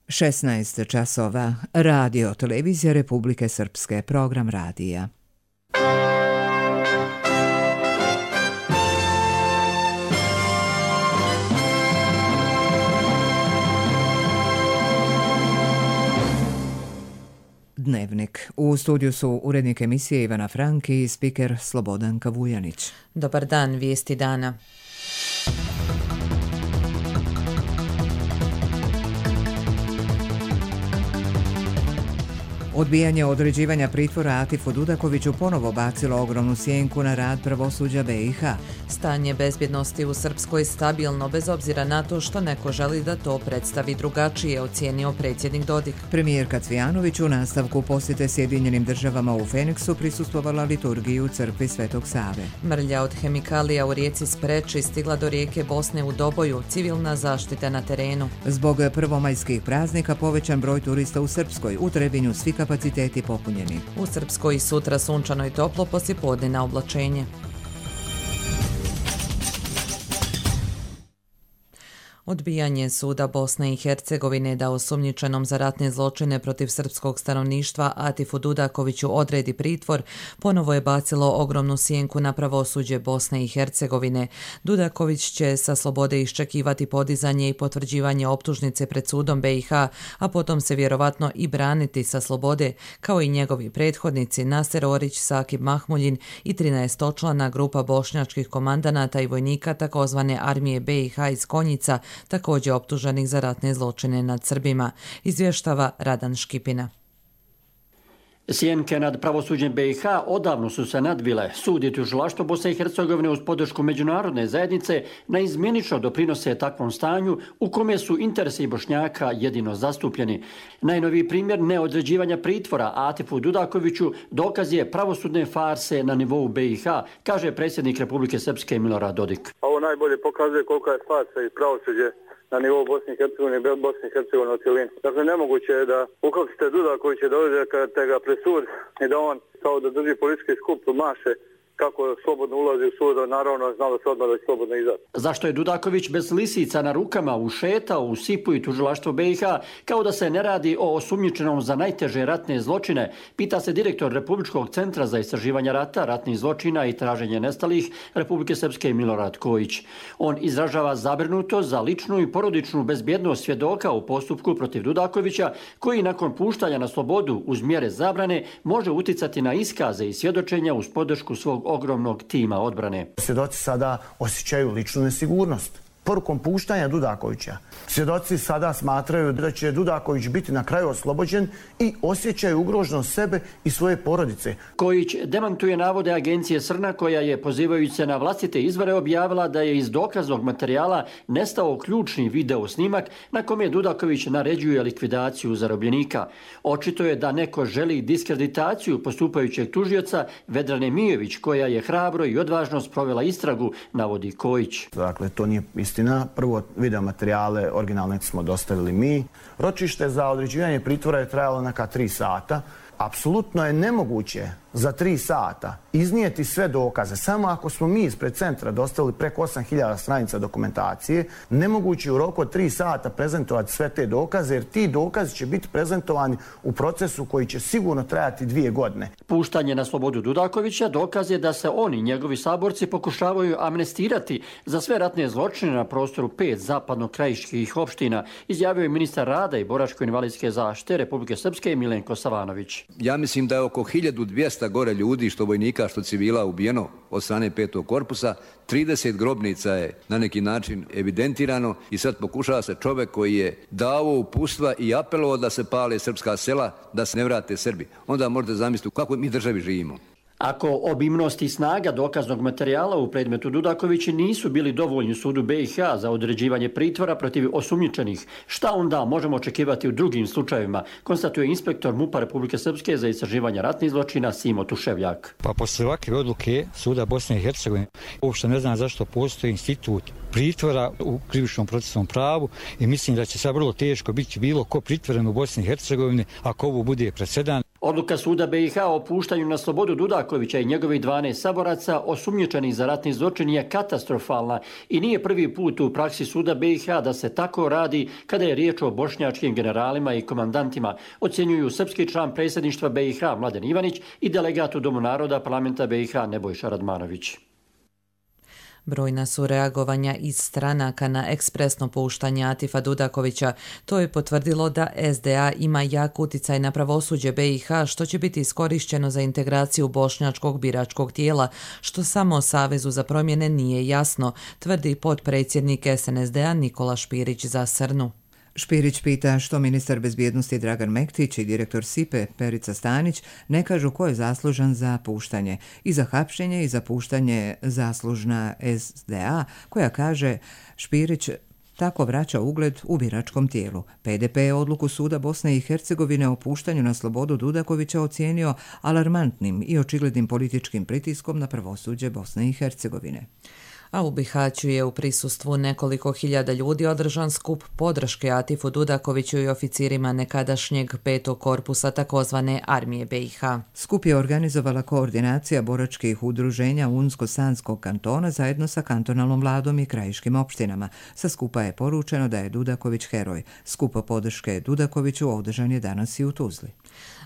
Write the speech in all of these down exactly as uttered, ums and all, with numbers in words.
šesnaest časova. Radio Televizija Republike Srpske. Program radija. Dnevnik. U studiju su urednik emisije Ivana Franki i spiker Slobodan Kavujanić. Dobar dan, vijesti dana. Odbijanje određivanja pritvora Atifu Dudakoviću ponovo bacilo ogromnu sjenku na rad pravosuđa B i H. Stanje bezbjednosti u Srpskoj stabilno, bez obzira na to što neko želi da to predstavi drugačije, ocijenio predsjednik Dodik. Premijerka Cvijanović u nastavku posjete Sjedinjenim državama u Feniksu prisustvovala liturgiji u crkvi Svetog Save. Mrlja od hemikalija u rijeci Spreči stigla do rijeke Bosne u Doboju, civilna zaštita na terenu. Zbog prvomajskih praznika povećan broj turista u Srpskoj, u Trebinju svi kapaciteti popunjeni. U Srpskoj sutra sunčano i toplo, poslijepodne na oblačenje. Odbijanje suda Bosne i Hercegovine da osumnjičenom za ratne zločine protiv srpskog stanovništva Atifu Dudakoviću odredi pritvor ponovo je bacilo ogromnu sjenku na pravosuđe Bosne i Hercegovine. Dudaković će sa slobode iščekivati podizanje i potvrđivanje optužnice pred sudom B i H, a potom se vjerovatno i braniti sa slobode, kao i njegovi prethodnici Naser Orić, Sakib Mahmuljin i trinaestočlana grupa bošnjačkih komandanata i vojnika takozvane armije B i H iz Konjica, također optuženih za ratne zločine nad Srbima, izvještava Radan Škipina. Sjenke nad pravosuđem B i H odavno su se nadvile. Sud i tužilaštvo Bosne i Hercegovine uz podršku međunarodne zajednice naizmjenično doprinose takvom stanju u kome su interesi Bošnjaka jedino zastupljeni. Najnoviji primjer neodređivanja pritvora Atifu Dudakoviću dokaz je pravosudne farse na nivou B i H, kaže predsjednik Republike Srpske Milorad Dodik. Ovo najbolje pokazuje kolika je farsa i pravosuđe na nivou Bosne i Hercegovine i Bosne i Hercegovine u cijelini. Dakle, nemoguće je da uhapsite Dudakovića, da dovedete ga pred sud i da on kao da drži politički skup maše kako slobodno ulazi u sud, naravno znalo se odmah da će slobodno izaći. Zašto je Dudaković bez lisica na rukama ušetao u Sipu i tužilaštvo B i H kao da se ne radi o osumnjičenom za najteže ratne zločine, pita se direktor Republičkog centra za istraživanje rata, ratnih zločina i traženje nestalih Republike Srpske Milorad Kojić. On izražava zabrinutost za ličnu i porodičnu bezbjednost svjedoka u postupku protiv Dudakovića, koji nakon puštanja na slobodu uz mjere zabrane može uticati na iskaze i svjedočenja uz podršku svog ogromnog tima odbrane. Svjedoci sada osjećaju ličnu nesigurnost. Porukom puštanja Dudakovića svjedoci sada smatraju da će Dudaković biti na kraju oslobođen i osjećaju ugroženost sebe i svoje porodice. Kojić demantuje navode agencije Srna, koja je pozivajući se na vlastite izvore objavila da je iz dokaznog materijala nestao ključni video snimak na kome Dudaković naređuje likvidaciju zarobljenika. Očito je da neko želi diskreditaciju postupajućeg tužioca Vedrane Mijović, koja je hrabro i odvažno sprovela istragu, navodi Kojić. Dakle, to nije istina. Prvo, video materijale originalne smo dostavili mi. Ročište za određivanje pritvora je trajalo neka tri sata. Apsolutno je nemoguće za tri sata iznijeti sve dokaze. Samo ako smo mi ispred centra dostavili preko osam hiljada stranica dokumentacije, nemoguće u roku od tri sata prezentovati sve te dokaze, jer ti dokazi će biti prezentovani u procesu koji će sigurno trajati dvije godine. Puštanje na slobodu Dudakovića dokaz je da se oni, njegovi saborci, pokušavaju amnestirati za sve ratne zločine na prostoru pet zapadno-krajiških opština, izjavio je ministar rada i boračko-invalidske zaštite Republike Srpske Milenko Savanović. Ja mislim da je oko hiljadu dvjesto gore ljudi, što vojnika, što civila, ubijeno od strane petog korpusa. trideset grobnica je na neki način evidentirano i sad pokušava se čovjek koji je dao uputstva i apelovao da se pale srpska sela, da se ne vrate Srbi. Onda možete zamisliti u kakvoj mi državi živimo. Ako obimnost i snaga dokaznog materijala u predmetu Dudakovića nisu bili dovoljni sudu B i H za određivanje pritvora protiv osumnjičenih, šta onda možemo očekivati u drugim slučajevima, konstatuje inspektor MUP-a Republike Srpske za istraživanje ratnih zločina Simo Tuševljak. Pa posle ovakve odluke suda Bosne i Hercegovine uopšte ne znam zašto postoji institut pritvora u krivičnom procesnom pravu i mislim da će sad vrlo teško biti bilo ko pritvoren u Bosni i Hercegovini ako ovo bude presedan. Odluka suda B i H o puštanju na slobodu Dudakovića i njegovih dvanaest saboraca osumnjičenih za ratni zločin je katastrofalna i nije prvi put u praksi suda B i H da se tako radi kada je riječ o bošnjačkim generalima i komandantima, ocjenjuju srpski član predsjedništva B i H Mladen Ivanić i delegat u Domu naroda parlamenta B i H Nebojša Radmanović. Brojna su reagovanja iz stranaka na ekspresno puštanje Atifa Dudakovića. To je potvrdilo da S D A ima jak uticaj na pravosuđe B i H, što će biti iskorišćeno za integraciju bošnjačkog biračkog tijela, što samo Savezu za promjene nije jasno, tvrdi potpredsjednik S N S D A Nikola Špirić za Srnu. Špirić pita što ministar bezbjednosti Dragan Mektić i direktor S I P E Perica Stanić ne kažu ko je zaslužan za puštanje. I za hapšenje i za puštanje zaslužna S D A, koja, kaže Špirić, tako vraća ugled u biračkom tijelu. P D P je odluku suda Bosne i Hercegovine o puštanju na slobodu Dudakovića ocijenio alarmantnim i očiglednim političkim pritiskom na pravosuđe Bosne i Hercegovine. A u Bihaću je u prisustvu nekoliko hiljada ljudi održan skup podrške Atifu Dudakoviću i oficirima nekadašnjeg petog korpusa takozvane armije B i H. Skup je organizovala koordinacija boračkih udruženja Unsko-Sanskog kantona zajedno sa kantonalnom vladom i krajiškim opštinama. Sa skupa je poručeno da je Dudaković heroj. Skup podrške Dudakoviću održan je danas i u Tuzli.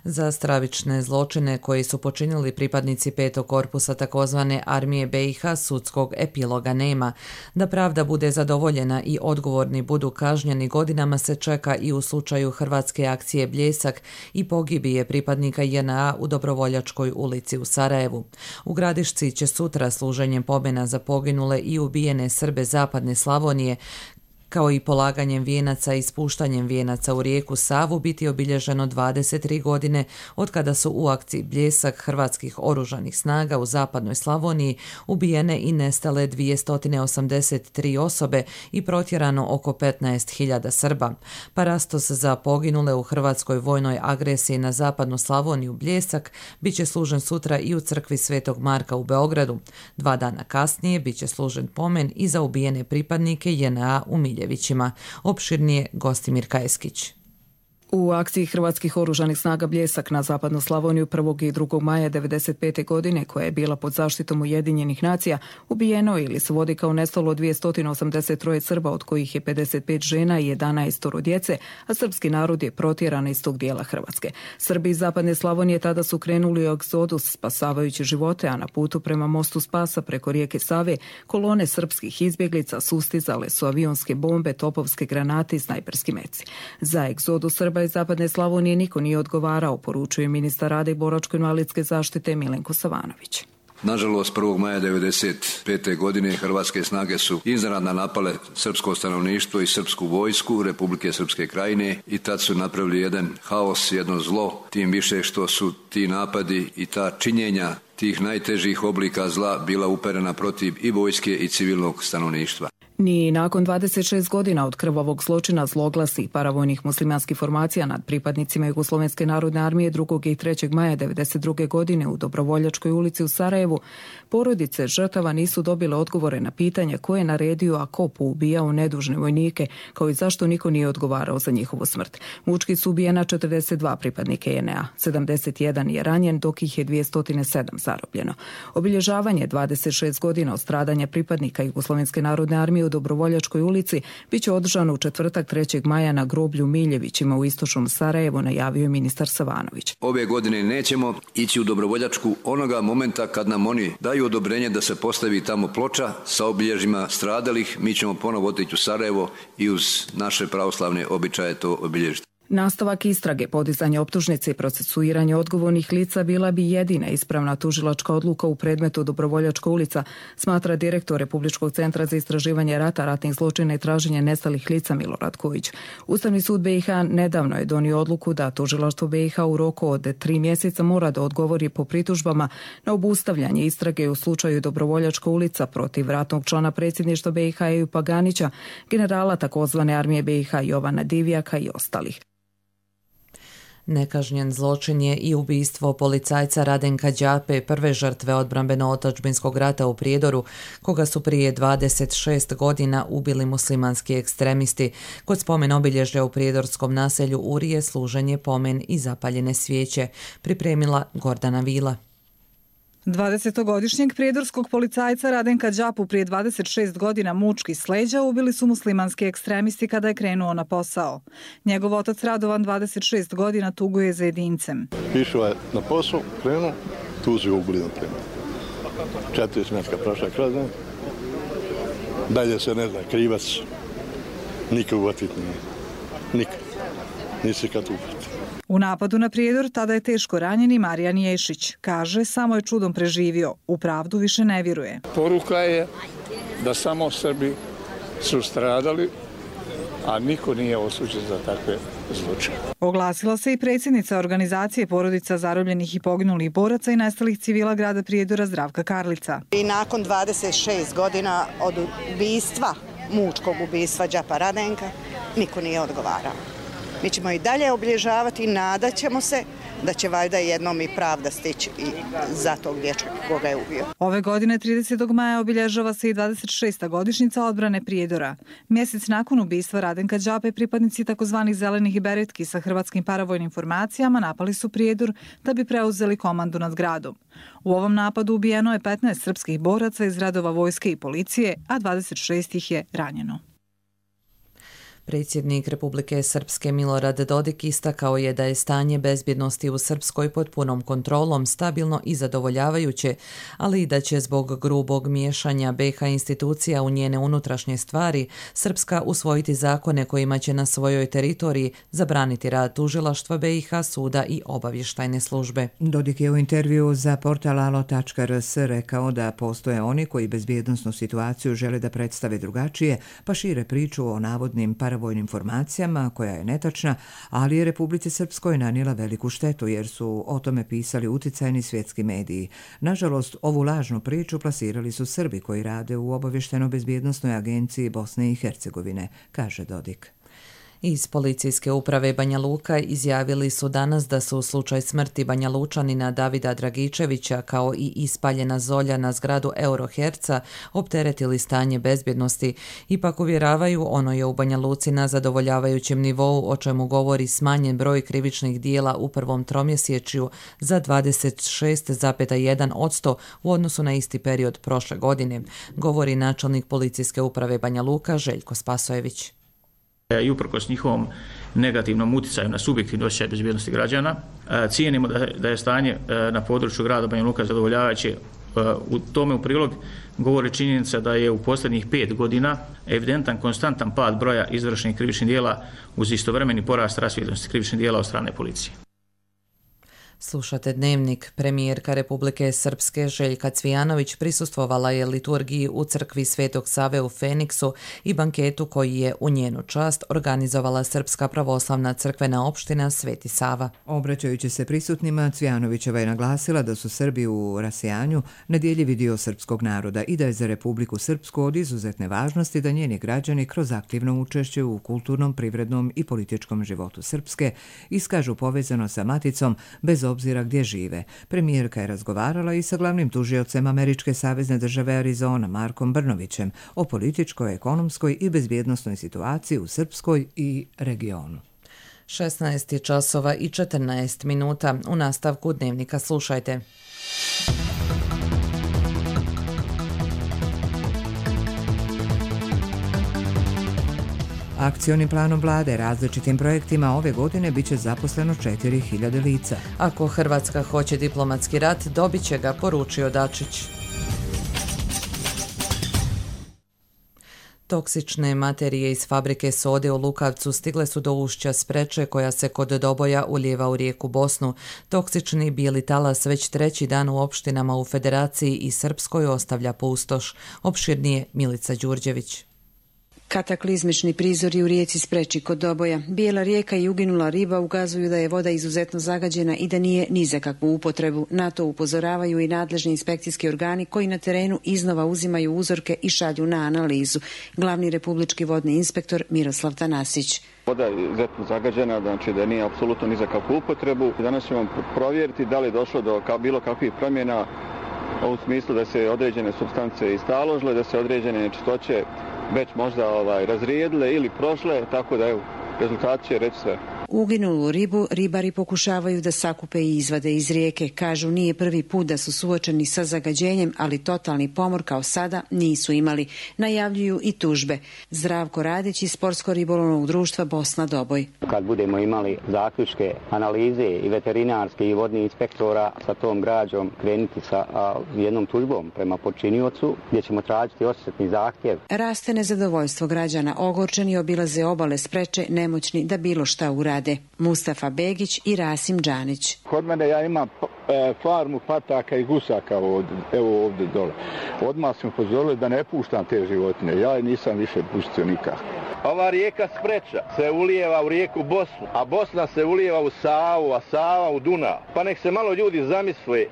Za stravične zločine koji su počinili pripadnici petog korpusa takozvane armije B i H sudskog epiloga nema. Da pravda bude zadovoljena i odgovorni budu kažnjeni godinama se čeka i u slučaju hrvatske akcije Bljesak i pogibije pripadnika J N A u Dobrovoljačkoj ulici u Sarajevu. U Gradišci će sutra služenjem pomena za poginule i ubijene Srbe zapadne Slavonije, kao i polaganjem vijenaca i spuštanjem vijenaca u rijeku Savu biti obilježeno dvadeset tri godine od kada su u akciji Bljesak hrvatskih oružanih snaga u zapadnoj Slavoniji ubijene i nestale dvjesto osamdeset tri osobe i protjerano oko petnaest hiljada Srba. Parastos za poginule u hrvatskoj vojnoj agresiji na zapadnu Slavoniju Bljesak bit će služen sutra i u crkvi Svetog Marka u Beogradu. Dva dana kasnije bit će služen pomen i za ubijene pripadnike J N A u Miljevićima. Opširnije Gostimir Kajeskić. U akciji hrvatskih oružanih snaga Bljesak na zapadnu Slavoniju prvog i drugog maja devedeset pete. godine, koja je bila pod zaštitom Ujedinjenih nacija, ubijeno ili se vodi kao nestalo dvjesto osamdeset tri Srba, od kojih je pedeset pet žena i jedanaest djece, a srpski narod je protjeran iz tog dijela Hrvatske. Srbi iz zapadne Slavonije tada su krenuli u egzodus spasavajući živote, a na putu prema mostu Spasa preko rijeke Save kolone srpskih izbjeglica sustizale su avionske bombe, topovske granate i snajperski meci. Za egzodus Srba iz zapadne Slavonije niko nije odgovarao, poručuje ministar rada i boračko-invalidske zaštite Milenko Savanović. Nažalost, prvog maja devedeset pete. godine hrvatske snage su iznenadno napale srpsko stanovništvo i srpsku vojsku Republike Srpske Krajine i tad su napravili jedan haos, jedno zlo, tim više što su ti napadi i ta činjenja tih najtežih oblika zla bila uperena protiv i vojske i civilnog stanovništva. Ni nakon dvadeset šest godina od krvavog zločina zloglasih paravojnih muslimanskih formacija nad pripadnicima Jugoslovenske narodne armije drugog i trećeg maja devedeset druge. godine u Dobrovoljačkoj ulici u Sarajevu, porodice žrtava nisu dobile odgovore na pitanje ko je naredio, a ko poubijao nedužne vojnike, kao i zašto niko nije odgovarao za njihovu smrt. Mučki su ubijena četrdeset dva pripadnike J N A, sedamdeset jedan je ranjen, dok ih je dvjesto sedam zarobljeno. Obilježavanje dvadeset šest godina od stradanja pripadnika Jugoslovenske narodne armije u Dobrovoljačkoj ulici bit će održano u četvrtak trećeg maja na groblju Miljevićima u istočnom Sarajevu, najavio je ministar Savanović. Ove godine nećemo ići u Dobrovoljačku onoga momenta kad nam oni daju odobrenje da se postavi tamo ploča sa obilježjima stradalih. Mi ćemo ponovo otići u Sarajevo i uz naše pravoslavne običaje to obilježiti. Nastavak istrage, podizanje optužnice i procesuiranje odgovornih lica bila bi jedina ispravna tužilačka odluka u predmetu Dobrovoljačka ulica, smatra direktor Republičkog centra za istraživanje rata, ratnih zločina i traženje nestalih lica Milorad Kojić. Ustavni sud B i H nedavno je donio odluku da tužilaštvo B i H u roku od tri mjeseca mora da odgovori po pritužbama na obustavljanje istrage u slučaju Dobrovoljačka ulica protiv ratnog člana predsjedništva B i H Ejupa Ganića, generala takozvane armije B i H Jovana Divjaka i ostalih. Nekažnjen zločin je i ubistvo policajca Radenka Đape, prve žrtve odbrambeno-otadžbinskog rata u Prijedoru, koga su prije dvadeset šest godina ubili muslimanski ekstremisti. Kod spomen obilježja u prijedorskom naselju Urije služen je pomen i zapaljene svijeće, pripremila Gordana Vila. dvadesetogodišnjeg prijedorskog policajca Radenka Đapu prije dvadeset šest godina mučki s leđa ubili su muslimanski ekstremisti kada je krenuo na posao. Njegov otac Radovan dvadeset šest godina tuguje za jedincem. Išao je na posao, krenuo, tu su ubili na primjer. Četiri smetka prošla kroz, dalje se ne zna, krivac, nikad uvatiti nije. Nikad. Nisi kad upati. U napadu na Prijedor tada je teško ranjeni Marijan Ješić. Kaže, samo je čudom preživio. U pravdu više ne vjeruje. Poruka je da samo Srbi su stradali, a niko nije osuđen za takve zločine. Oglasila se i predsjednica organizacije porodica zarobljenih i poginulih boraca i nestalih civila grada Prijedora Zdravka Karlica. I nakon dvadeset šest godina od ubistva, mučkog ubistva Đapa Radenka, niko nije odgovarao. Mi ćemo i dalje obilježavati i nadat ćemo se da će valjda jednom i pravda stići i za tog dječaka koga je ubio. Ove godine tridesetog maja obilježava se i dvadeset šesta godišnjica odbrane Prijedora. Mjesec nakon ubistva Radenka Đape pripadnici takozvanih zelenih beretki sa hrvatskim paravojnim formacijama napali su Prijedor da bi preuzeli komandu nad gradom. U ovom napadu ubijeno je petnaest srpskih boraca iz redova vojske i policije, a dvadeset šest ih je ranjeno. Predsjednik Republike Srpske Milorad Dodik istakao je da je stanje bezbjednosti u Srpskoj pod punom kontrolom, stabilno i zadovoljavajuće, ali i da će zbog grubog miješanja be ha institucija u njene unutrašnje stvari Srpska usvojiti zakone kojima će na svojoj teritoriji zabraniti rad tužilaštva be i ha, suda i obavještajne službe. Dodik je u intervju za portal alo tačka er es rekao da postoje oni koji bezbjednosnu situaciju žele da predstave drugačije, pa šire priču o navodnim paravojnim informacijama, koja je netačna, ali je Republici Srpskoj nanijela veliku štetu jer su o tome pisali uticajni svjetski mediji. Nažalost, ovu lažnu priču plasirali su Srbi koji rade u obavješteno-bezbjednosnoj agenciji Bosne i Hercegovine, kaže Dodik. Iz policijske uprave Banja Luka izjavili su danas da su u slučaj smrti Banja Lučanina Davida Dragičevića kao i ispaljena zolja na zgradu Euroherca opteretili stanje bezbjednosti. Ipak uvjeravaju, ono je u Banja Luci na zadovoljavajućem nivou, o čemu govori smanjen broj krivičnih dijela u prvom tromjesečju za dvadeset šest zarez jedan posto u odnosu na isti period prošle godine, govori načelnik policijske uprave Banja Luka Željko Spasojević. I uprkos njihovom negativnom uticaju na subjektivni osjećaj bezbjednosti građana, cijenimo da je stanje na području grada Banja Luka zadovoljavajuće. U tome u prilog govori činjenica da je u posljednjih pet godina evidentan konstantan pad broja izvršenih krivičnih djela uz istovremeni porast rasvijetljenosti krivičnih djela od strane policije. Slušate Dnevnik. Premijerka Republike Srpske Željka Cvijanović prisustvovala je liturgiji u crkvi Svetog Save u Feniksu i banketu koji je u njenu čast organizovala Srpska pravoslavna crkvena opština Sveti Sava. Obraćajući se prisutnima, Cvijanovićeva je naglasila da su Srbi u rasijanju nedjeljivi dio srpskog naroda i da je za Republiku Srpsku od izuzetne važnosti da njeni građani kroz aktivno učešće u kulturnom, privrednom i političkom životu Srpske iskažu povezano sa maticom bez obzira gdje žive. Premijerka je razgovarala i sa glavnim tužiocem Američke savezne države Arizona Markom Brnovićem o političkoj, ekonomskoj i bezbjednosnoj situaciji u Srpskoj i regionu. šesnaest časova i četrnaest minuta. U nastavku Dnevnika slušajte. Akcionim planom vlade različitim projektima ove godine biće zaposleno četiri hiljade lica. Ako Hrvatska hoće diplomatski rat, dobit će ga, poručio Dačić. Toksične materije iz fabrike sode u Lukavcu stigle su do ušća Spreče koja se kod Doboja ulijeva u rijeku Bosnu. Toksični bijeli talas već treći dan u opštinama u Federaciji i Srpskoj ostavlja pustoš. Opširnije Milica Đurđević. Kataklizmični prizori u rijeci Spreči kod Doboja. Bijela rijeka i uginula riba ukazuju da je voda izuzetno zagađena i da nije ni za kakvu upotrebu. Na to upozoravaju i nadležni inspekcijski organi koji na terenu iznova uzimaju uzorke i šalju na analizu. Glavni republički vodni inspektor Miroslav Tanasić. Voda je izuzetno zagađena, znači da nije apsolutno ni za kakvu upotrebu. Danas ćemo provjeriti da li je došlo do bilo kakvih promjena u smislu da se određene supstance istaložile, da se određene nečistoće već možda ovaj, razrijedile ili prošle, tako da evo, rezultat će reći sve. Uginulu ribu ribari pokušavaju da sakupe i izvade iz rijeke. Kažu nije prvi put da su suočeni sa zagađenjem, ali totalni pomor kao sada nisu imali. Najavljuju i tužbe. Zdravko Radić iz Sportsko-ribolovnog društva Bosna Doboj. Kad budemo imali zaključke, analize i veterinarske i vodnih inspektora sa tom građom krenuti sa a, jednom tužbom prema počiniocu gdje ćemo tražiti odštetni zahtjev. Raste nezadovoljstvo građana. Ogorčeni obilaze obale Spreče, nemoćni da bilo šta urade. Mustafa Begić i Rasim Džanić. Kod mene ja imam e, farmu pataka i gusaka ovdje, evo ovdje dole. Odmah sam upozorili da ne puštam te životinje. Ja nisam više pustio nikako. Ova rijeka Spreča se ulijeva u rijeku Bosnu, a Bosna se ulijeva u Savu, a Sava u Dunav. Pa nek se malo ljudi zamisle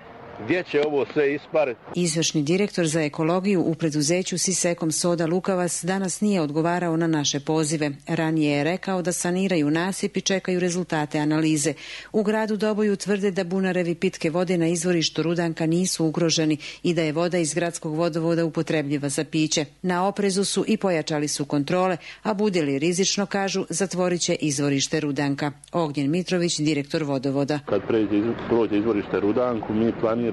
gdje će ovo sve ispariti. Izvršni direktor za ekologiju u preduzeću Sisekom Soda Lukavac danas nije odgovarao na naše pozive. Ranije je rekao da saniraju nasip i čekaju rezultate analize. U gradu Doboju tvrde da bunarevi pitke vode na izvorištu Rudanka nisu ugroženi i da je voda iz gradskog vodovoda upotrebljiva za piće. Na oprezu su i pojačali su kontrole, a bude li rizično, kažu, zatvorit će izvorište Rudanka. Ognjen Mitrović, direktor vodovoda. Kad prođe izvorište Rudanku, mi planiramo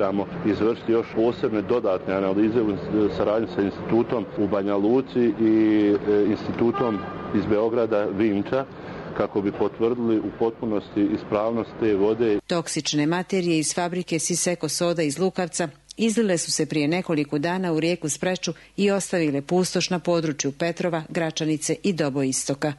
izvršiti još posebne dodatne analize u saradnji sa institutom u Banja Luci i institutom iz Beograda Vinča kako bi potvrdili u potpunosti ispravnost te vode. Toksične materije iz fabrike Siseko Soda iz Lukavca izlile su se prije nekoliko dana u rijeku Spreču i ostavile pustoš na području Petrova, Gračanice i Doboistoka.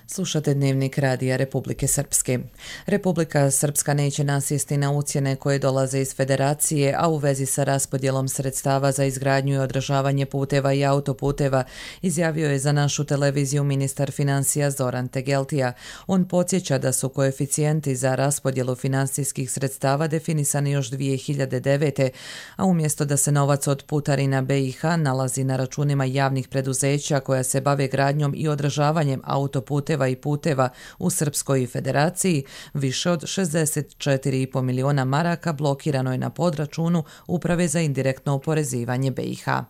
Slušate Dnevnik Radija Republike Srpske. Republika Srpska neće nasjesti na ucjene koje dolaze iz Federacije, a u vezi sa raspodjelom sredstava za izgradnju i održavanje puteva i autoputeva, izjavio je za našu televiziju ministar financija Zoran Tegeltija. On podsjeća da su koeficijenti za raspodjelu financijskih sredstava definisani još dvije hiljade devete. a umjesto da se novac od putarina B i H nalazi na računima javnih preduzeća koja se bave gradnjom i održavanjem autoputeva i puteva u Srpskoj federaciji, više od šezdeset četiri i po miliona maraka blokirano je na podračunu Uprave za indirektno oporezivanje B i H.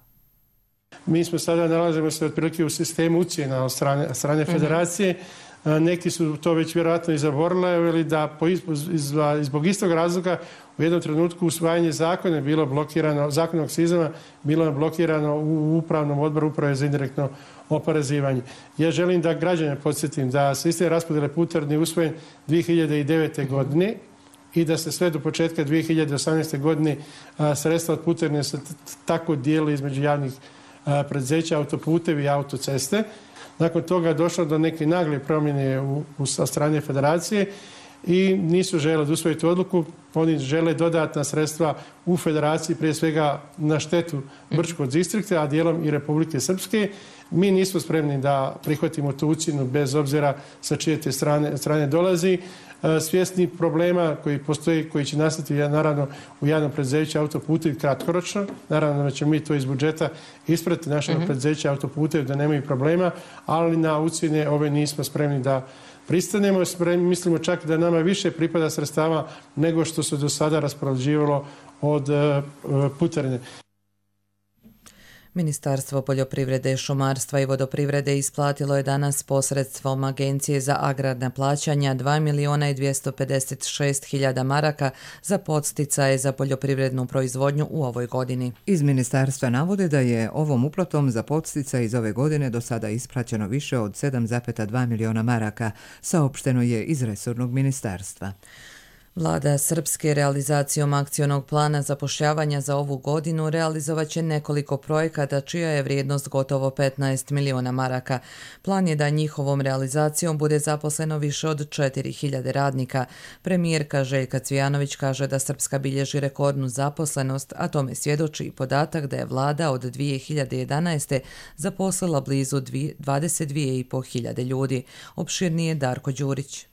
Mi smo sada nalazimo se otprilike u sistemu ucjena od strane, strane federacije. Mm-hmm. Neki su to već vjerojatno i zaboravili da po, iz, iz, zbog istog razloga u jednom trenutku usvajanje zakona je bilo blokirano, zakonog sizama bilo je blokirano u upravnom odboru Uprave za indirektno oporezivanje. Ja želim da građane podsjetim da se iste raspodjele putarni usvojen dvije hiljade devete. godine i da se sve do početka dvije hiljade osamnaeste. godine a, sredstva od putarne se tako dijeli između javnih a, preduzeća, autoputevi i autoceste. Nakon toga je došlo do neke nagle promjene u, u, sa strane federacije i nisu žele usvojiti odluku. Oni žele dodatna sredstva u federaciji, prije svega na štetu Brčkog distrikta, a dijelom i Republike Srpske. Mi nismo spremni da prihvatimo tu ucjenu bez obzira sa čije te strane, strane dolazi. Svjesni problema koji postoji, koji će nastati naravno u javnom preduzeću autoputevi kratkoročno. Naravno da ćemo mi to iz budžeta isprati našeg mm-hmm. preduzeća autoputevi da nemaju problema, ali na ucjene ove nismo spremni da pristanemo. Spremni, mislimo čak da nama više pripada sredstava nego što se do sada raspoređivalo od uh, putarine. Ministarstvo poljoprivrede, šumarstva i vodoprivrede isplatilo je danas posredstvom Agencije za agrarna plaćanja dva miliona i dvjesto pedeset šest hiljada maraka za podsticaje za poljoprivrednu proizvodnju u ovoj godini. Iz ministarstva navode da je ovom uplatom za podsticaj iz ove godine do sada isplaćeno više od sedam zarez dva miliona maraka, saopšteno je iz resornog ministarstva. Vlada Srpske realizacijom akcionog plana zapošljavanja za ovu godinu realizovat će nekoliko projekata čija je vrijednost gotovo petnaest miliona maraka. Plan je da njihovom realizacijom bude zaposleno više od četiri hiljade radnika. Premijerka Željka Cvijanović kaže da Srpska bilježi rekordnu zaposlenost, a tome svjedoči i podatak da je vlada od dvije hiljade jedanaeste. zaposlila blizu dvadeset dvije i po hiljade ljudi. Opširnije Darko Đurić.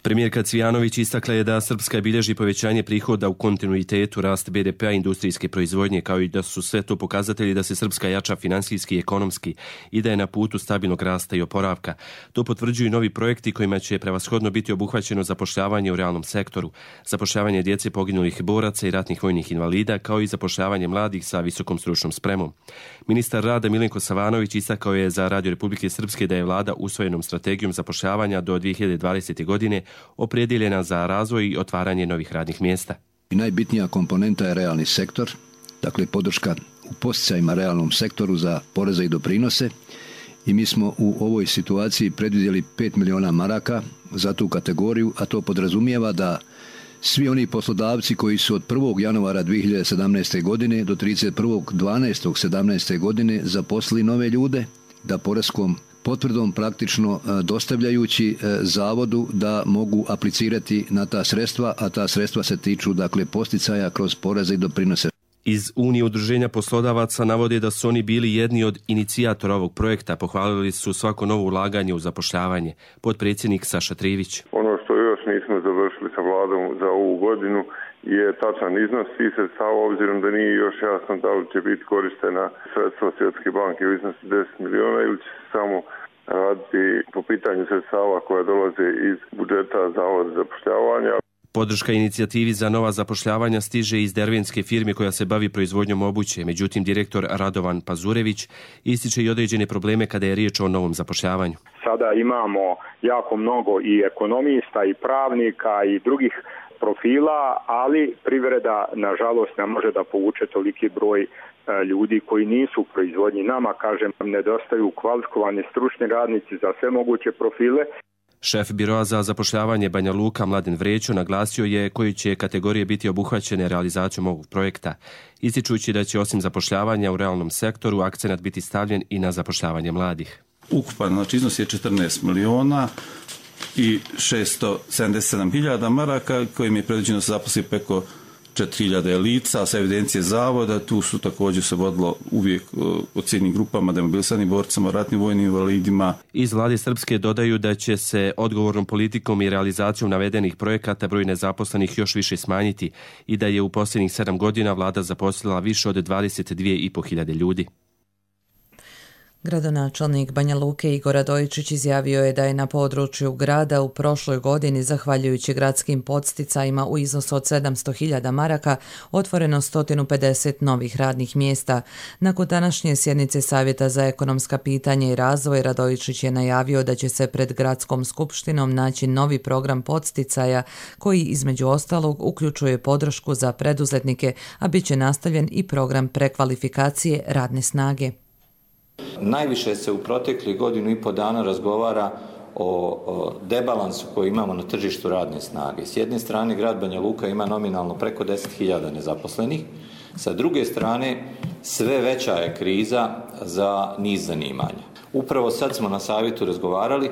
Premijerka Cvijanović istakla je da Srpska bilježi povećanje prihoda u kontinuitetu, rast be de pea i industrijske proizvodnje, kao i da su sve to pokazatelji da se Srpska jača finansijski i ekonomski i da je na putu stabilnog rasta i oporavka. To potvrđuju novi projekti kojima će prevashodno biti obuhvaćeno zapošljavanje u realnom sektoru, zapošljavanje djece poginulih boraca i ratnih vojnih invalida, kao i zapošljavanje mladih sa visokom stručnom spremom. Ministar rada Milenko Savanović istakao je za Radio Republike Srpske da je vlada usvojenom strategijom zapošljavanja do dvije hiljade dvadesete. godine opredjeljena za razvoj i otvaranje novih radnih mjesta. I najbitnija komponenta je realni sektor, dakle podrška u podsticajima realnom sektoru za poreze i doprinose, i mi smo u ovoj situaciji predvidjeli pet milijuna maraka za tu kategoriju, a to podrazumijeva da svi oni poslodavci koji su od prvog januara dvije hiljade sedamnaeste. godine do trideset prvog dvanaestog sedamnaeste. godine zaposlili nove ljude, da poreskom potvrdom praktično dostavljajući zavodu da mogu aplicirati na ta sredstva, a ta sredstva se tiču dakle posticaja kroz poreze i doprinose. Iz Unije udruženja poslodavaca navode da su oni bili jedni od inicijatora ovog projekta, pohvalili su svako novo ulaganje u zapošljavanje. Potpredsjednik Saša Trivić. Ono što još nismo završili sa vladom za ovu godinu je tačan iznos svih sredstava, obzirom da nije još jasno da li će biti korištena sredstva Svjetske banke u iznosu deset milijuna ili će se samo raditi po pitanju sredstava koja dolaze iz budžeta Zavoda za zapošljavanje. Podrška inicijativi za nova zapošljavanja stiže iz dervenske firme koja se bavi proizvodnjom obuće. Međutim, direktor Radovan Pazurević ističe i određene probleme kada je riječ o novom zapošljavanju. Sada imamo jako mnogo i ekonomista i pravnika i drugih profila, ali privreda nažalost ne može da povuče toliki broj ljudi koji nisu u proizvodnji. Nama, kažem, nedostaju kvalifikovani stručni radnici za sve moguće profile. Šef biroa za zapošljavanje Banja Luka Mladen Vrećo naglasio je koji će kategorije biti obuhvaćene realizacijom ovog projekta, ističući da će osim zapošljavanja u realnom sektoru akcenat biti stavljen i na zapošljavanje mladih. Ukupan znači, iznos je četrnaest milijuna i šesto sedamdeset sedam hiljada maraka, kojim je predviđeno se zaposli preko četiri hiljade lica sa evidencije zavoda. Tu su također se vodilo uvijek o ciljnim grupama, demobilisanim borcama, ratnim vojnim invalidima. Iz vlade Srpske dodaju da će se odgovornom politikom i realizacijom navedenih projekata broj nezaposlenih još više smanjiti i da je u posljednjih sedam godina vlada zaposlila više od dvadeset dvije i pol hiljade ljudi. Gradonačelnik Banja Luke Igor Radojičić izjavio je da je na području grada u prošloj godini, zahvaljujući gradskim podsticajima u iznosu od sedamsto hiljada maraka, otvoreno sto pedeset novih radnih mjesta. Nakon današnje sjednice Savjeta za ekonomska pitanja i razvoj, Radojičić je najavio da će se pred gradskom skupštinom naći novi program podsticaja koji između ostalog uključuje podršku za preduzetnike, a bit će nastavljen i program prekvalifikacije radne snage. Najviše se u proteklih godinu i po dana razgovara o, o debalansu koji imamo na tržištu radne snage. S jedne strane, grad Banja Luka ima nominalno preko deset hiljada nezaposlenih, sa druge strane sve veća je kriza za niz zanimanja. Upravo sad smo na savjetu razgovarali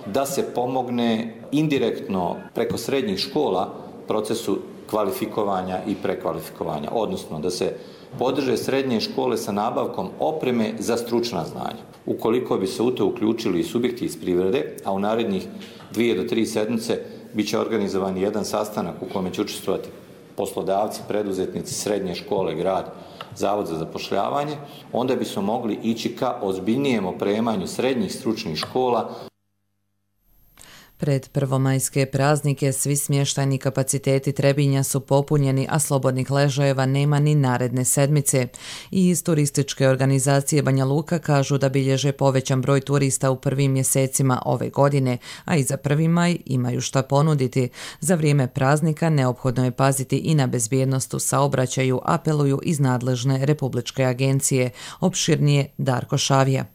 da se pomogne indirektno preko srednjih škola procesu kvalifikovanja i prekvalifikovanja, odnosno da se podrže srednje škole sa nabavkom opreme za stručna znanja. Ukoliko bi se u to uključili i subjekti iz privrede, a u narednih dvije do tri sedmice bit će organizovan jedan sastanak u kome će učestvovati poslodavci, preduzetnici, srednje škole, grad, Zavod za zapošljavanje, onda bismo mogli ići ka ozbiljnijem opremanju srednjih stručnih škola. Pred prvomajske praznike svi smještajni kapaciteti Trebinja su popunjeni, a slobodnih ležajeva nema ni naredne sedmice. I iz turističke organizacije Banja Luka kažu da bilježe povećan broj turista u prvim mjesecima ove godine, a i za prvi maj imaju šta ponuditi. Za vrijeme praznika neophodno je paziti i na bezbjednost u saobraćaju, apeluju iz nadležne republičke agencije. Opširnije Darko Šavija.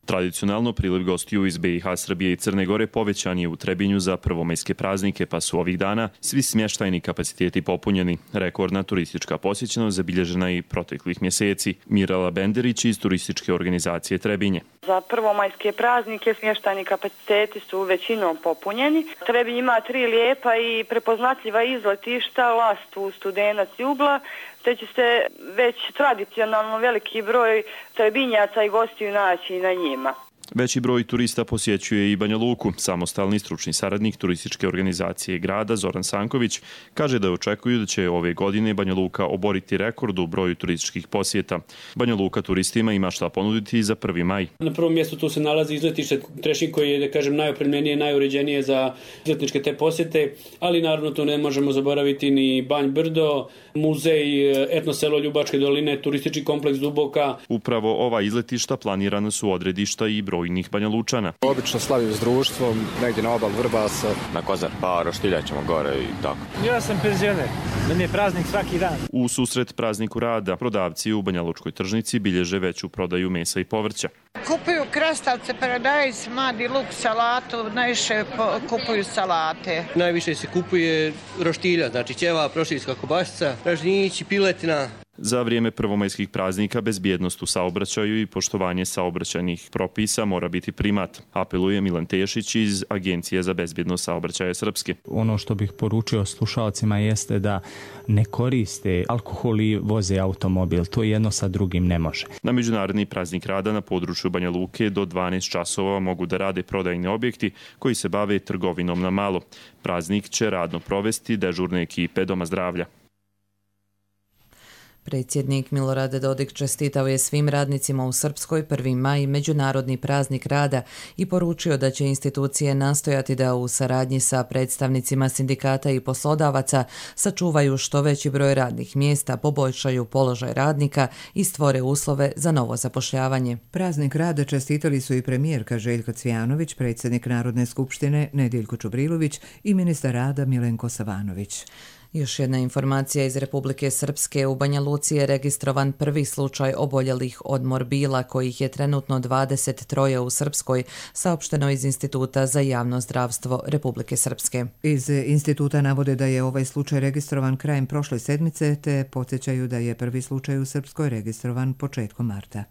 Tradicionalno priliv gostiju iz be i ha, Srbije i Crne Gore povećan je u Trebinju za prvomajske praznike, pa su ovih dana svi smještajni kapaciteti popunjeni. Rekordna turistička posjećenost zabilježena i proteklih mjeseci. Mirela Benderić iz turističke organizacije Trebinje. Za prvomajske praznike smještajni kapaciteti su većinom popunjeni. Trebinj ima tri lijepa i prepoznatljiva izletišta, Lastu, Studenac i Ugla, te će se već tradicionalno veliki broj Trebinjaca i gostiju naći na njima. Veći broj turista posjećuje i Banja Luku. Samostalni stručni saradnik turističke organizacije grada Zoran Sanković kaže da očekuju da će ove godine Banja Luka oboriti rekord u broju turističkih posjeta. Banja Luka turistima ima šta ponuditi za prvi maj. Na prvom mjestu tu se nalazi izletište Trešnjik koji je, da kažem, najopremljenije, najuređenije za izletničke te posjete, ali naravno tu ne možemo zaboraviti ni Banj Brdo, muzej, etno selo Ljubačke doline, turistički kompleks Duboka. Upravo ova izletišta planirana su odredišta i brojnih Banja Lučana. Obično slavim s društvom, negdje na obal Vrbasa. Na Kozar, pa Roštilja ćemo gore i tako. Ja sam penzioner, meni je praznik svaki dan. U susret prazniku rada, prodavci u Banja Lučkoj tržnici bilježe veću prodaju mesa i povrća. Kupuju krastavce, paradajz, mladi luk, salatu, najviše kupuju salate. Najviše se kupuje roštilja, znači ćeva, proštilska kobasica, pražnjići, piletina. Za vrijeme prvomajskih praznika bezbjednost u saobraćaju i poštovanje saobraćajnih propisa mora biti primat, apeluje Milan Tešić iz Agencije za bezbjednost saobraćaja Srpske. Ono što bih poručio slušalcima jeste da ne koriste alkohol i voze automobil, to jedno sa drugim ne može. Na međunarodni praznik rada na području Banja Luke do dvanaest časova mogu da rade prodajni objekti koji se bave trgovinom na malo. Praznik će radno provesti dežurne ekipe Doma zdravlja. Predsjednik Milorad Dodik čestitao je svim radnicima u Srpskoj prvi maj, međunarodni praznik rada, i poručio da će institucije nastojati da u saradnji sa predstavnicima sindikata i poslodavaca sačuvaju što veći broj radnih mjesta, poboljšaju položaj radnika i stvore uslove za novo zapošljavanje. Praznik rada čestitali su i premijerka Željka Cvijanović, predsjednik Narodne skupštine Nediljko Čubrilović i ministar rada Milenko Savanović. Još jedna informacija iz Republike Srpske. U Banja Luci je registrovan prvi slučaj oboljelih od morbila, kojih je trenutno dvadeset tri u Srpskoj, saopšteno iz Instituta za javno zdravstvo Republike Srpske. Iz instituta navode da je ovaj slučaj registrovan krajem prošle sedmice, te podsjećaju da je prvi slučaj u Srpskoj registrovan početkom marta.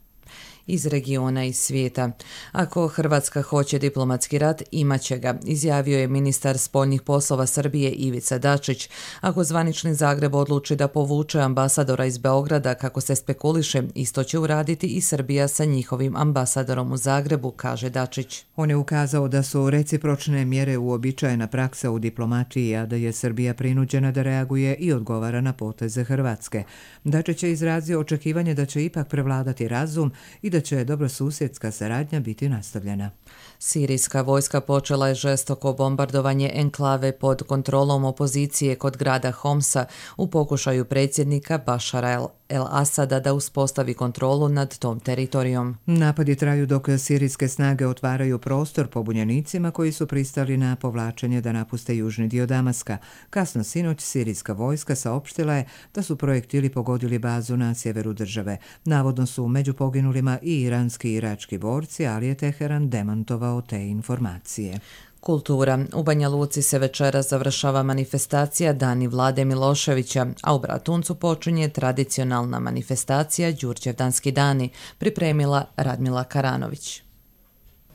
Iz regiona i svijeta. Ako Hrvatska hoće diplomatski rat, imaće ga, izjavio je ministar spoljnih poslova Srbije Ivica Dačić. Ako zvanični Zagreb odluči da povuče ambasadora iz Beograda, kako se spekuliše, isto će uraditi i Srbija sa njihovim ambasadorom u Zagrebu, kaže Dačić. On je ukazao da su recipročne mjere uobičajena praksa u diplomatiji, a da je Srbija prinuđena da reaguje i odgovara na poteze Hrvatske. Dačić je izrazio očekivanje da će ipak prevladati razum i da će dobrosusjedska saradnja biti nastavljena. Sirijska vojska počela je žestoko bombardovanje enklave pod kontrolom opozicije kod grada Homsa u pokušaju predsjednika Bašara el-Asada da uspostavi kontrolu nad tom teritorijom. Napadi traju dok sirijske snage otvaraju prostor pobunjenicima koji su pristali na povlačenje da napuste južni dio Damaska. Kasno sinoć sirijska vojska saopštila je da su projektili pogodili bazu na sjeveru države. Navodno su među poginulima i iranski i irački borci, ali je Teheran demantovao te informacije. Kultura. U Banja Luci se večeras završava manifestacija Dani Vlade Miloševića, a u Bratuncu počinje tradicionalna manifestacija Đurđevdanski dani, pripremila Radmila Karanović.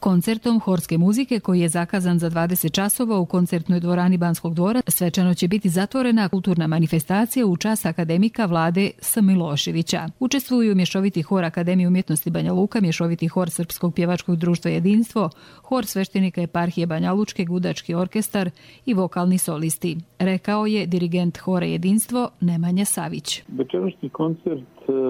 Koncertom horske muzike koji je zakazan za dvadeset časova u koncertnoj dvorani Banskog dvora svečano će biti zatvorena kulturna manifestacija u čast akademika Vlade S. Miloševića. Učestvuju mješoviti hor Akademije umjetnosti Banja Luka, mješoviti hor Srpskog pjevačkog društva Jedinstvo, hor sveštenika eparhije Banja Lučke, gudački orkestar i vokalni solisti, rekao je dirigent hora Jedinstvo Nemanja Savić. Večerašnji koncert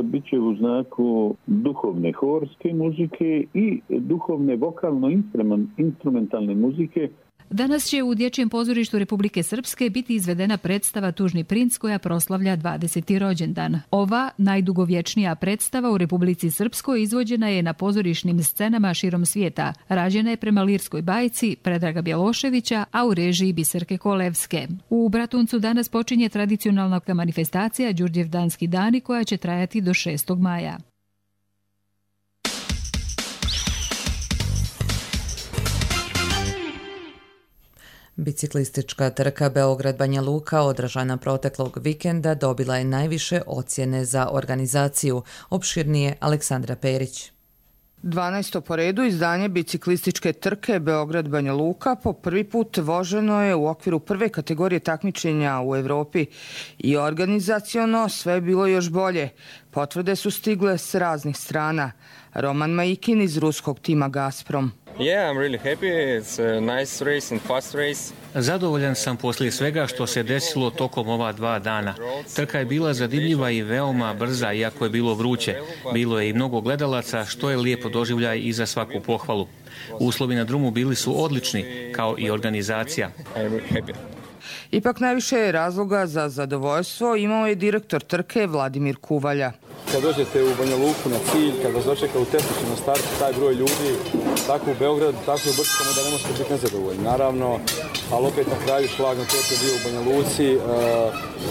bit će u znaku duhovne horske muzike i duhovne vokalno-instrumentalne muzike. Danas će u Dječjem pozorištu Republike Srpske biti izvedena predstava Tužni princ koja proslavlja dvadeseti rođendan. Ova najdugovječnija predstava u Republici Srpskoj izvođena je na pozorišnim scenama širom svijeta. Rađena je prema lirskoj bajci Predraga Bjeloševića, a u režiji Biserke Kolevske. U Bratuncu danas počinje tradicionalna manifestacija Đurđevdanski dani koja će trajati do šestog maja. Biciklistička trka Beograd-Banja Luka održana proteklog vikenda dobila je najviše ocjene za organizaciju, opširnije Aleksandra Perić. dvanaesto po redu izdanje biciklističke trke Beograd-Banja Luka po prvi put voženo je u okviru prve kategorije takmičenja u Evropi i organizaciono sve je bilo još bolje. Potvrde su stigle s raznih strana. Roman Majikin iz ruskog tima Gazprom. Yeah, I'm really happy. It's a nice race and fast race. Zadovoljan sam poslije svega što se desilo tokom ova dva dana. Trka je bila zadivljiva i veoma brza, iako je bilo vruće. Bilo je i mnogo gledalaca, što je lijepo doživljaj i za svaku pohvalu. Uslovi na drumu bili su odlični, kao i organizacija. Ipak najviše razloga za zadovoljstvo imao je direktor trke Vladimir Kuvalja. Kad dođete u Banja Luku na cilj, kad vas dočeka u Tepliću na startu taj broj ljudi, tako u Beogradu, tako u Brčkama da ne možete biti nezadovoljni. Naravno, ali opet na kraju šlag na tortu je bio u Banja Luci. E,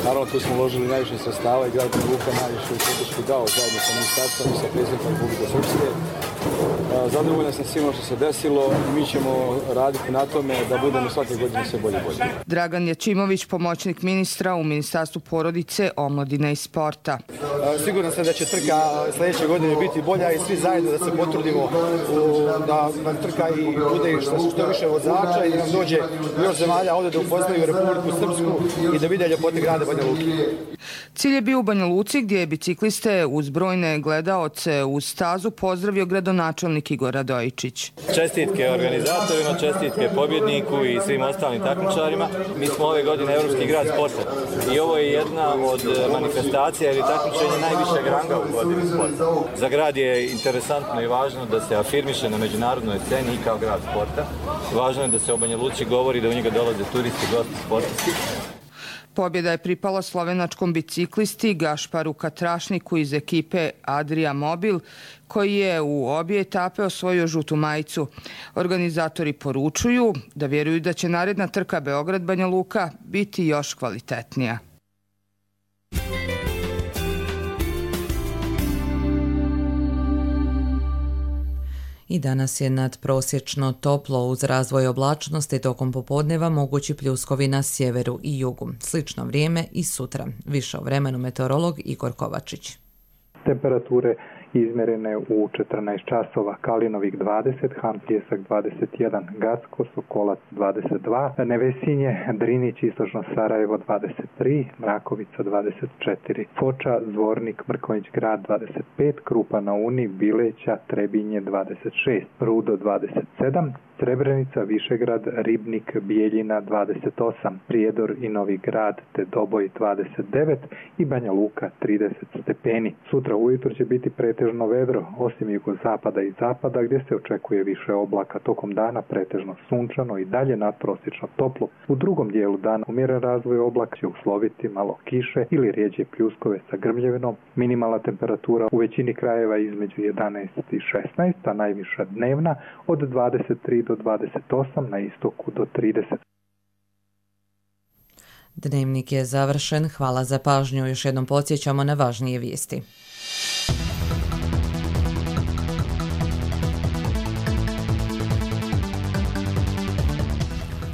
naravno, tu smo uložili najviše sredstava i grad Banja Luka najviše u podršku dao zajedno sa ministarstvom i sa predsjednikom Republike Srpske. E, zadovoljan sam svima što se desilo i mi ćemo raditi na tome da budemo svake godine sve bolje i bolje. Dragan Jačimović, pomoćnik ministra u Ministarstvu porodice, omladine i sporta. E, siguran sam da će trka sljedeće godine biti bolja i svi zajedno da se potrudimo da nam trka i bude što, što više vozača i da nam dođe još zemalja ovdje da upoznaju Republiku Srpsku i da vide ljepote grada Banja Luke. Cilj je bio u Banja Luci gdje je bicikliste uz brojne gledaoce uz stazu pozdravio gradonačelnik Igor Radojičić. Čestitke organizatorima, čestitke pobjedniku i svim ostalim takmičarima. Mi smo ove godine Evropski grad sporta i ovo je jedna od manifestacija ili takmičenja najvišeg ranga u godini sporta. Za grad je interesantno i važno da se afirmiše na međunarodnoj sceni i kao grad sporta. Važno je da se o Banja Luci govori, da u njega dolaze turisti, gosti, sportisti. Pobjeda je pripala slovenačkom biciklisti Gašparu Katrašniku iz ekipe Adria Mobil, koji je u obje etape osvojio žutu majicu. Organizatori poručuju da vjeruju da će naredna trka Beograd-Banja Luka biti još kvalitetnija. I danas je nadprosječno toplo uz razvoj oblačnosti tokom popodneva mogući pljuskovi na sjeveru i jugu. Slično vrijeme i sutra. Više o vremenu meteorolog Igor Kovačić. Temperature izmjerene u četrnaest časova, Kalinovik dvadeset, Han Pjesak dvadeset jedan, Gacko, Sokolac dvadeset dva, Nevesinje, Drinić, Istočno Sarajevo dvadeset tri, Mrakovica dvadeset četiri, Foča, Zvornik, Mrkonjić Grad dvadeset pet, Krupa na Uni, Bileća, Trebinje dvadeset šest, Rudo dvadeset sedam, Srebrenica, Višegrad, Ribnik, Bijeljina dvadeset osam, Prijedor i Novi Grad te Doboj dvadeset devet i Banja Luka trideset stepeni. Sutra ujutro će biti pretežno vedro, osim jugozapada i zapada gdje se očekuje više oblaka. Tokom dana pretežno sunčano i dalje nadprosječno toplo. U drugom dijelu dana umjeren razvoj oblaka će usloviti malo kiše ili rijeđe pljuskove sa grmljevinom. Minimalna temperatura u većini krajeva između jedanaest i šesnaest, a najviša dnevna od dvadeset tri do dvadeset osam, na istoku do trideset. Dnevnik je završen. Hvala za pažnju. Još jednom podsjećamo na važnije vijesti.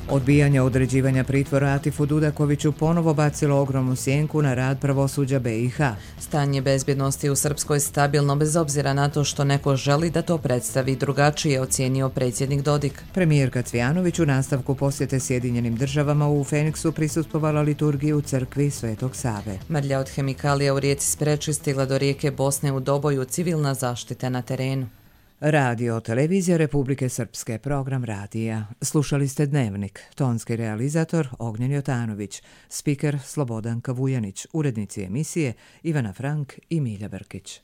Odbijanje određivanja pritvora Atifu Dudakoviću ponovo bacilo ogromnu sjenku na rad pravosuđa B i H. Stanje bezbjednosti u Srpskoj stabilno bez obzira na to što neko želi da to predstavi drugačije, ocijenio predsjednik Dodik. Premijerka Cvijanović u nastavku posjete Sjedinjenim državama u Feniksu prisustvovala liturgiji u crkvi Svetog Save. Mrlja od hemikalija u rijeci Spreči stigla do rijeke Bosne u Doboju, civilna zaštita na terenu. Radio Televizija Republike Srpske, program radija. Slušali ste Dnevnik, tonski realizator Ognjen Jotanović, spiker Slobodanka Vujanić, urednici emisije Ivana Frank i Milja Brkić.